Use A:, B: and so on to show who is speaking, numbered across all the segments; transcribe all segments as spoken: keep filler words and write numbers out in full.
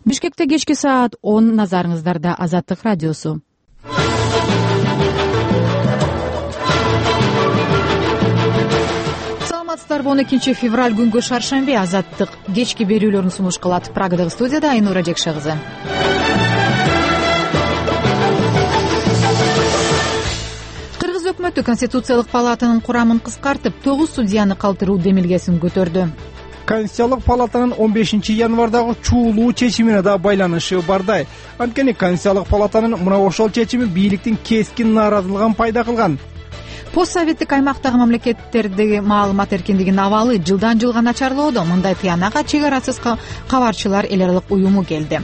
A: Бишкекте кечки саат он, назарыңыздарда Азаттык радиосу. Саламатсыздарбы? он экинчи февраль күнгө шаршемби Азаттык кечки берүүлөрүн сунуш кылат. Прагадагы студияда Айнура Жекше кызы. Кыргыз өкмөтү Конституциялык палатанын курамын кыскартып, тогуз судьяны калтыруу демилгесин көтөрдү.
B: Конституциялык палатанын он бешинчи январдагы чуулуу чечимине да байланышы бардай. Анткени Конституциялык палатанын мына ошол чечими бийликтин кескин нааразылыгын пайда кылган.
A: Постсоветтик аймактагы мамлекеттердеги маалымат эркиндигинин абалы жылдан жылга начарлоодо. Мындай тыянакка чек арасыз кабарчылар эл аралык уюму келди.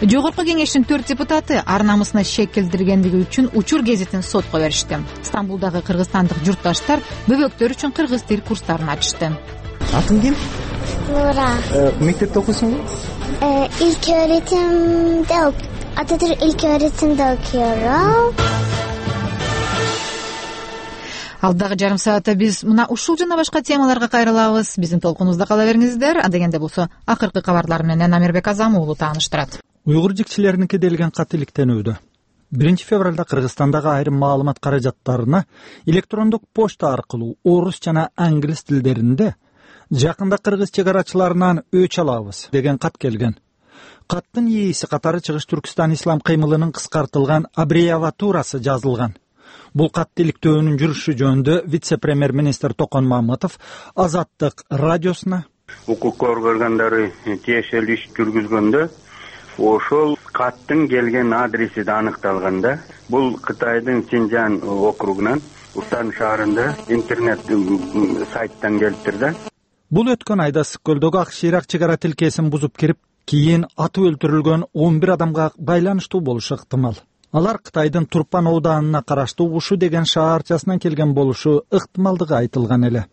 A: Жогорку кеңештин төрт депутаты ар намысына шек келтиргендиги үчүн Учур гезитин сотко беришти. Стамбулдагы кыргызстандык журтташтар бөбөктөр үчүн кыргыз тил курстарын ачышты.
B: Атың ким?
C: Нура.
B: Мектепте окуйсуңбу?
C: İlk öğretimde ok- Atatürk ilk öğretimde okuyorum.
A: Алдагы жарым саатта биз мына ушул жана башка темаларга кайрылабыз. Биздин толкунубузда кала бериңиздер. Адегенде болсо акыркы кабарлар менен Амирбек Азам уулу тааныштырат.
D: Уйгур жикчилеринин делген кат иликтенүүдө. биринчи февралда Кыргызстандагы айрым маалымат каражаттарына электрондук почта аркылуу орус жана англис тилдеринде жакында кыргыз чек арачыларынан өч алабыз деген кат келген. Каттын ээси катары Чыгыш Түркстан ислам кыймылынын кыскартылган аббревиатурасы жазылган. Бул кат иликтөөнүн жүрүшү жөнүндө вице-премьер-министр Токон Маматов Азаттык радиосуна
E: укук органдары тиешелүү иш жүргүзгөндө ошол каттын келген адреси да аныкталганда, бул Кытайдын Синжан округунан Утан шаарында интернет сайттан келиптир да.
D: Бул өткөн айда Сыккөлдөгү Ак Шыйрак чек ара тилкесин бузуп кирип, кийин атып өлтүрүлгөн он бир адамга байланыштуу болушу ыктымал. Алар Кытайдын Турпан ооданына караштуу Ушу деген шаарчасынан келген болушу ыктымалдыгы айтылган эле.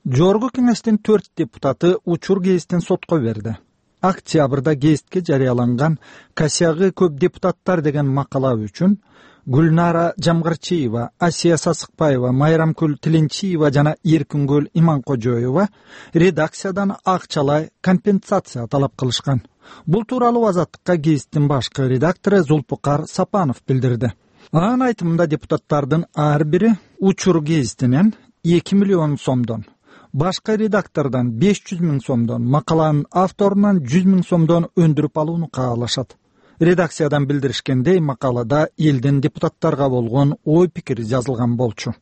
D: Жогорку кеңештин төрт депутаты Учур гезитин сотко берди. Октябрда гезитке жарыяланган «Касягы көп депутаттар» деген макала үчүн Гүлнара Жамгырчиева, Асия Сасыкбаева, Майрамкүл Тилинчиева жана Эркингүл Иманкожоева редакциядан акчалай компенсация талап кылышкан. Бул тууралуу Азаттыкка гезиттин башкы редактору Зулпукар Сапанов билдирди. Анын айтымында депутаттардын ар бири Учур гезитинен эки миллион сомдон, башка редактордон беш жүз миң сомдон, макаланын авторунан жүз миң сомдон өндүрүп алууну каалашат. Редакциядан билдиришкендей, макалада элдин депутаттарга болгон ой пикири жазылган болчу.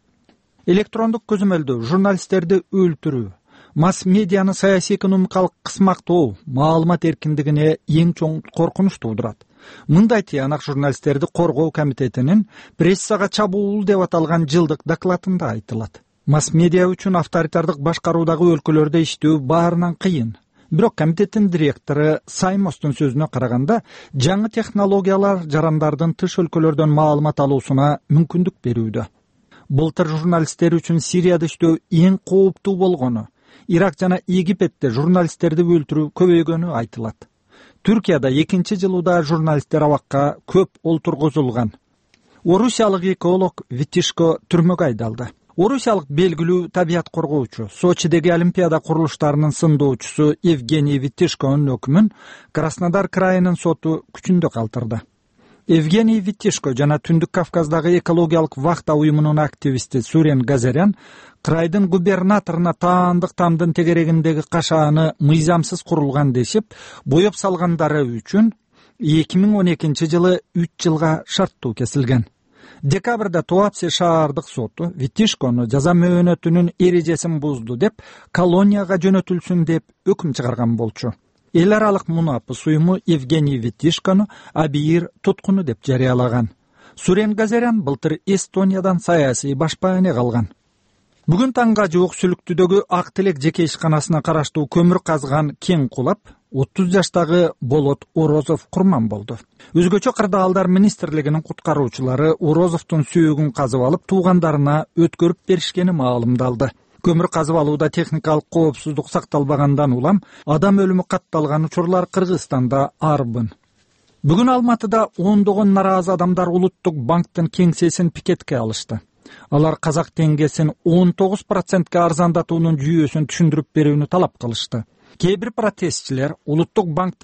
D: Электрондук көзөмөлдөө журналисттерди өлтүрүү, масс-медианы саясий экономикалык кысмактоо маалымат эркиндигине эң чоң коркунуч туудурат. Мындай тыянак журналисттерди коргоо комитетинин прессага чабуул деп аталган жылдык докладында айтылат. Масс-медиа үчүн авторитардык башкаруудагы өлкөлөрдө иштөө баарынан кыйын. Бирок комитеттин директору Саймостун сөзүнө караганда, жаңы технологиялар жарандардын тыш өлкөлөрдөн маалымат алуусуна мүмкүндүк берүүдө. Былтыр журналисттер үчүн Сирияда иштөө эң кооптуу болгону, Ирак жана Египетте журналисттерди өлтүрүү көбөйгөнү айтылат. Түркияда экинчи жылуда журналисттер абакка көп олтургузулган. Орусиялык эколог Витишко түрмөгө айдалды. Орусиялык белгилүү табият коргоочу, Сочидеги Олимпиада курулуштарынын сындоочусу Евгений Витишконун өкүмүн Краснодар крайынын соту күчүндө калтырды. Евгений Витишко жана Түндүк Кавказдагы экологиялык вахта уюмунун активисти Сурен Газарян крайдын губернаторуна таандык тамдын тегерегиндеги кашааны мыйзамсыз курулган дешип, боеп салгандары үчүн эки миң он экинчи жылы үч жылга шарттуу кесилген. Декабрда Туапсе шаардык соту Витишкону жаза мөөнөтүнүн эрежесин бузду деп колонияга жөнөтүлсүн деп өкүм чыгарган болчу. Эл аралык мунапыс уюму Евгений Витишкону абийир туткуну деп жарыялаган. Сурен Газарян былтыр Эстониядан саясий башпаане калган. Бүгүн таңга жук Сүлүктүдөгү Ак Тилек жеке ишканасына караштуу көмүр казган кен кулап, отуз жаштагы Болот Орозов курман болду. Өзгөчө кырдаалдар министрлигинин куткаруучулары Орозовдун сүйөгүн казып алып, туугандарына өткөрүп беришкени маалымдалды. Көмүр казып алууда техникалык коопсуздук сакталбагандан улам адам өлүмү катталган учурлар Кыргызстанда арбын. Бүгүн Алматыда ондогон нараазы адамдар Улуттук банктын кеңсесин пикетке алышты. Алар казак теңгесин он тогуз процентке арзандатуунун жүйөсүн түшүндүрүп берүүнү талап кылышты. Кээ бир протестчилер Улуттук банк